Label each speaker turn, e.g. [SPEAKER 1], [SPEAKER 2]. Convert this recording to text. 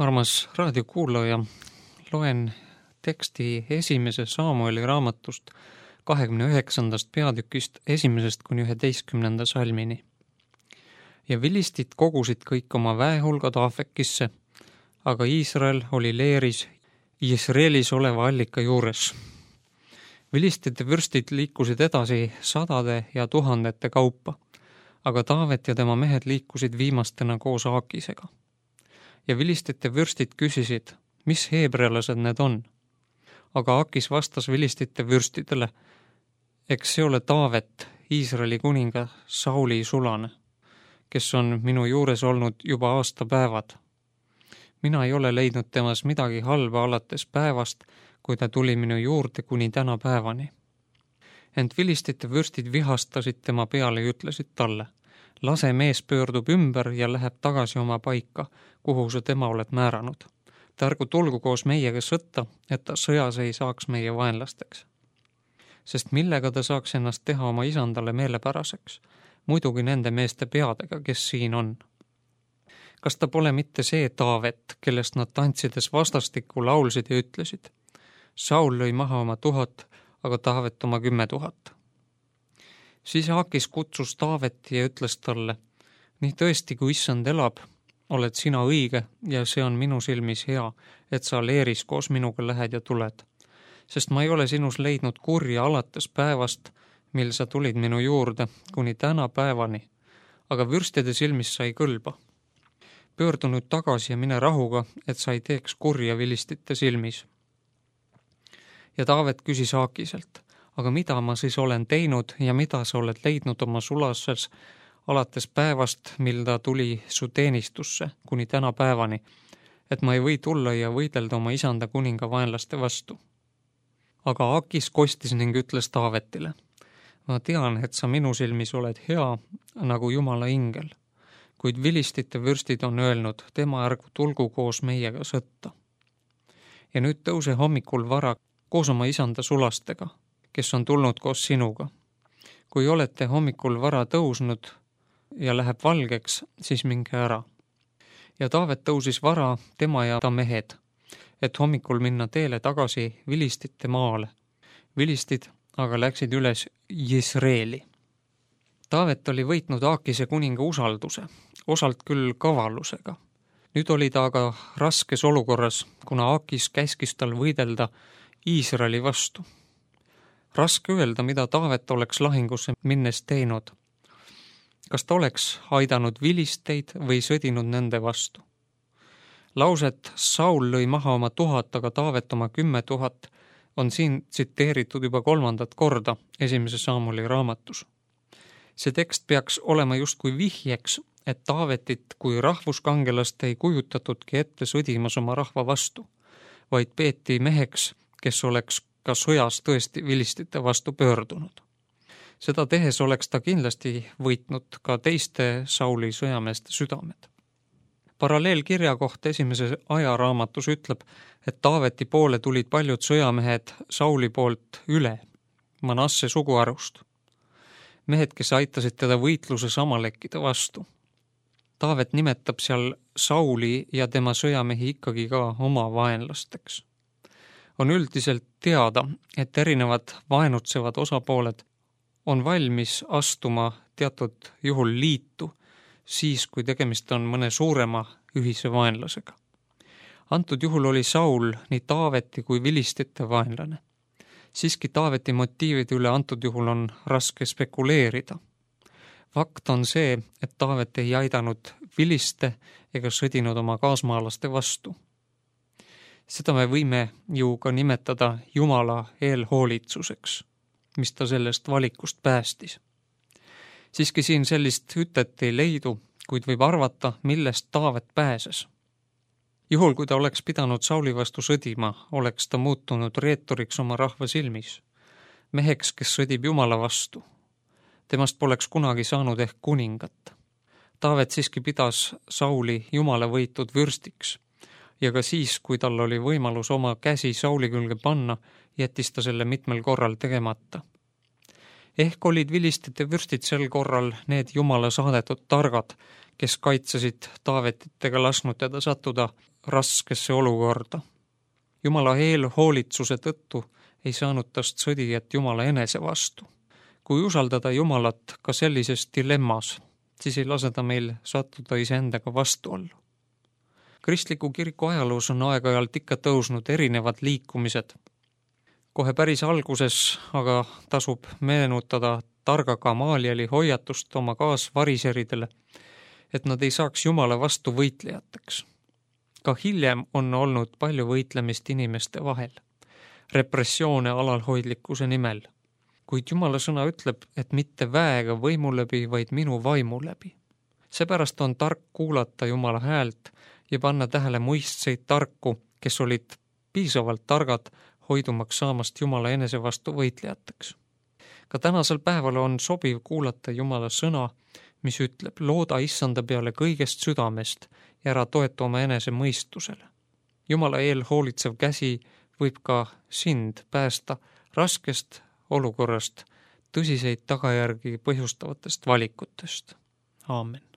[SPEAKER 1] Armas raadiokuulaja, loen teksti 1. Saamueli raamatust 29. peatükist 1. kuni 11. salmini. Ja vilistid kogusid kõik oma väehulgad Afekisse, aga Iisrael oli leeris Jisreelis oleva allika juures. Vilistide vürstid liikusid edasi sadade ja tuhandete kaupa, aga Taavet ja tema mehed liikusid viimastena koos Aakisega. Ja vilistite vürstid küsisid, mis heebrealased need on. Aga Aakis vastas vilistite vürstidele, eks see ole Taavet, Iisraeli kuninga Sauli sulane, kes on minu juures olnud juba aastapäevad. Mina ei ole leidnud temas midagi halba alates päevast, kui ta tuli minu juurde kuni täna päevani. Ent vilistite vürstid vihastasid tema peale ja ütlesid talle, lase mees pöördub ümber ja läheb tagasi oma paika, kuhu sa tema oled määranud. Ta ärgu tulgu koos meiega sõtta, et ta sõjas ei saaks meie vaenlasteks. Sest millega ta saaks ennast teha oma isandale meelepäraseks, muidugi nende meeste peadega, kes siin on. Kas ta pole mitte see Taavet, kellest nad tantsides vastastikku laulsid ja ütlesid? Saul lõi maha oma 1000, aga Taavet oma 10 000. Siis Aakis kutsus Taaveti ja ütles talle, nii tõesti, kui issand elab, oled sina õige ja see on minu silmis hea, et sa leeris koos minuga lähed ja tuled. Sest ma ei ole sinus leidnud kurja alates päevast, mil sa tulid minu juurde kuni täna päevani, aga vürstide silmis sa ei kõlba. Pöördu nüüd tagasi ja mine rahuga, et sa ei teeks kurja vilistite silmis. Ja Taavet küsis Aakiselt, aga mida ma siis olen teinud ja mida sa oled leidnud oma sulases alates päevast, mil ta tuli su teenistusse kuni täna päevani, et ma ei või tulla ja võidelda oma isanda kuninga vaenlaste vastu. Aga Aakis kostis ning ütles Taavetile, ma tean, et sa minu silmis oled hea nagu Jumala ingel, kuid vilistite vürstid on öelnud, tema ärgu tulgu koos meiega sõtta. Ja nüüd tõuse hommikul vara koos oma isanda sulastega, kes on tulnud koos sinuga. Kui olete hommikul vara tõusnud ja läheb valgeks, siis minge ära. Ja Taavet tõusis vara, tema ja ta mehed, et hommikul minna teele tagasi vilistite maale. Vilistid aga läksid üles Jisreeli. Taavet oli võitnud Aakise kuninga usalduse, osalt küll kavalusega. Nüüd oli ta aga raskes olukorras, kuna Aakis käskis tal võidelda Iisraeli vastu. Raske öelda, mida Taavet oleks lahingusse minnes teinud. Kas ta oleks aidanud vilisteid või sõdinud nende vastu? Lauset Saul lõi maha oma 1000, aga Taavet oma 10 000 on siin tsiteeritud juba 3. korda 1. Saamueli raamatus. See tekst peaks olema justkui vihjeks, et Taavetit kui rahvuskangelast ei kujutatudki ette sõdimas oma rahva vastu, vaid peeti meheks, kes oleks ka sõjas tõesti vilistite vastu pöördunud. Seda tehes oleks ta kindlasti võitnud ka teiste Sauli sõjameeste südamed. Paralleelkirja kohta 1. ajaraamatus ütleb, et Taaveti poole tulid paljud sõjamehed Sauli poolt üle, Manasse suguharust. Mehed, kes aitasid teda võitluses Amalekkide vastu. Taavet nimetab seal Sauli ja tema sõjamehi ikkagi ka oma vaenlasteks. On üldiselt teada, et erinevad vaenutsevad osapooled on valmis astuma teatud juhul liitu, siis kui tegemist on mõne suurema ühise vaenlasega. Antud juhul oli Saul nii Taaveti kui vilistite vaenlane. Siiski Taaveti motiivide üle antud juhul on raske spekuleerida. Fakt on see, et Taavet ei aidanud viliste ega sõdinud oma kaasmaalaste vastu. Seda me võime ju ka nimetada Jumala eelhoolitsuseks, mis ta sellest valikust päästis. Siiski siin sellist ütet ei leidu, kuid võib arvata, millest Taavet pääses. Juhul, kui ta oleks pidanud Sauli vastu sõdima, oleks ta muutunud reetoriks oma rahva silmis, meheks, kes sõdib Jumala vastu. Temast poleks kunagi saanud ehk kuningat. Taavet siiski pidas Sauli Jumala võitud vürstiks ja ka siis, kui tal oli võimalus oma käsi Sauli külge panna, jättis ta selle mitmel korral tegemata. Ehk olid vilistite vürstid sel korral need Jumala saadetud targad, kes kaitsesid Taavetit ega lasknud teda sattuda raskesse olukorda. Jumala eelhoolitsuse tõttu ei saanud tast sõdijat Jumala enese vastu. Kui usaldada Jumalat ka sellises dilemmas, siis ei lase ta meil sattuda iseendaga vastuollu. Kristliku kiriku ajaloos on aeg-ajalt ikka tõusnud erinevad liikumised. Kohe päris alguses aga tasub meenutada targa Gamalieli hoiatust oma kaasvariseridele, et nad ei saaks Jumala vastu võitlejateks. Ka hiljem on olnud palju võitlemist inimeste vahel, repressioone alalhoidlikkuse nimel. Kuid Jumala sõna ütleb, et mitte väega võimu läbi, vaid minu vaimu läbi. Seepärast on tark kuulata Jumala häält ja panna tähele muistseid tarku, kes olid piisavalt targad hoidumaks saamast Jumala enese vastu võitlejateks. Ka tänasel päeval on sobiv kuulata Jumala sõna, mis ütleb, looda Issanda peale kõigest südamest ja ära toetu oma enese mõistusele. Jumala eel hoolitsev käsi võib ka sind päästa raskest olukorrast, tõsiseid tagajärgi põhjustavatest valikutest. Aamen.